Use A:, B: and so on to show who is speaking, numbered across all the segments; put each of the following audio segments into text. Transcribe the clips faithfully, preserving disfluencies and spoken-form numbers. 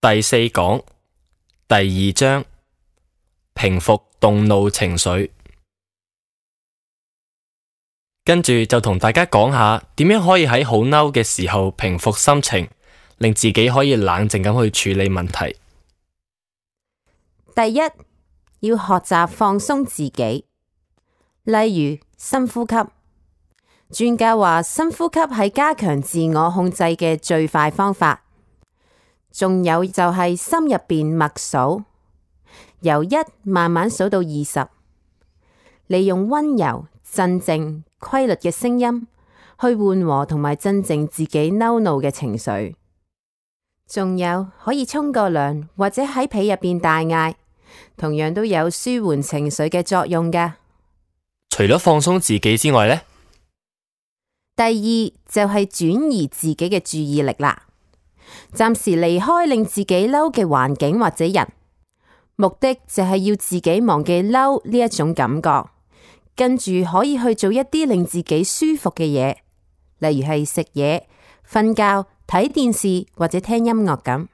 A: 第四講第二章，平復動怒情緒。跟住就同大家講下點樣可以喺好嬲嘅時候平復心情，令自己可以冷靜咁去處理問題。
B: 第一，要學習放鬆自己，例如深呼吸。專家話深呼吸係加強自我控制嘅最快方法。仲有就係心入邊默數，由一慢慢數到二十，利用溫柔、鎮靜、規律嘅聲音去緩和同埋鎮靜自己嬲怒嘅情緒。仲有可以沖個涼或者喺被入邊大嗌，同樣都有舒緩情緒嘅作用㗎。
A: 除咗放鬆自己之外呢，
B: 第二就係轉移自己嘅注意力啦。暫時離開令自己嬲嘅環境或者人，目的就係要自己忘記嬲呢一種感覺，跟住可以去做一啲令自己舒服嘅嘢，例如係食嘢、瞓覺、睇電視或者聽音樂咁，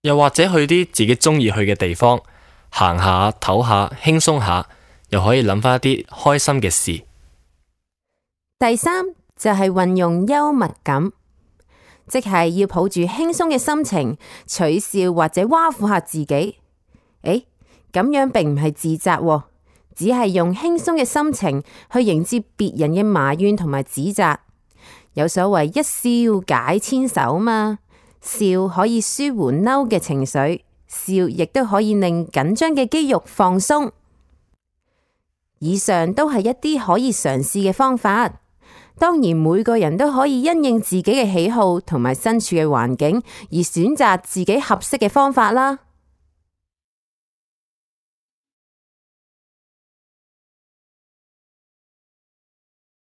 A: 又或者去啲自己中意去嘅地方行下、唞下、輕鬆下，又可以諗翻一啲開心嘅事。
B: 第三就係運用幽默感。即係要抱住輕鬆嘅心情，取笑或者挖苦下自己。誒，咁樣並唔係自責，只係用輕鬆嘅心情去迎接別人嘅埋怨同埋指責。有所謂一笑解千愁嘛，笑可以舒緩嬲嘅情緒，笑亦都可以令緊張嘅肌肉放鬆。以上都係一啲可以嘗試嘅方法。當然，每個人都可以因應自己嘅喜好同埋身處嘅環境而選擇自己合適嘅方法啦。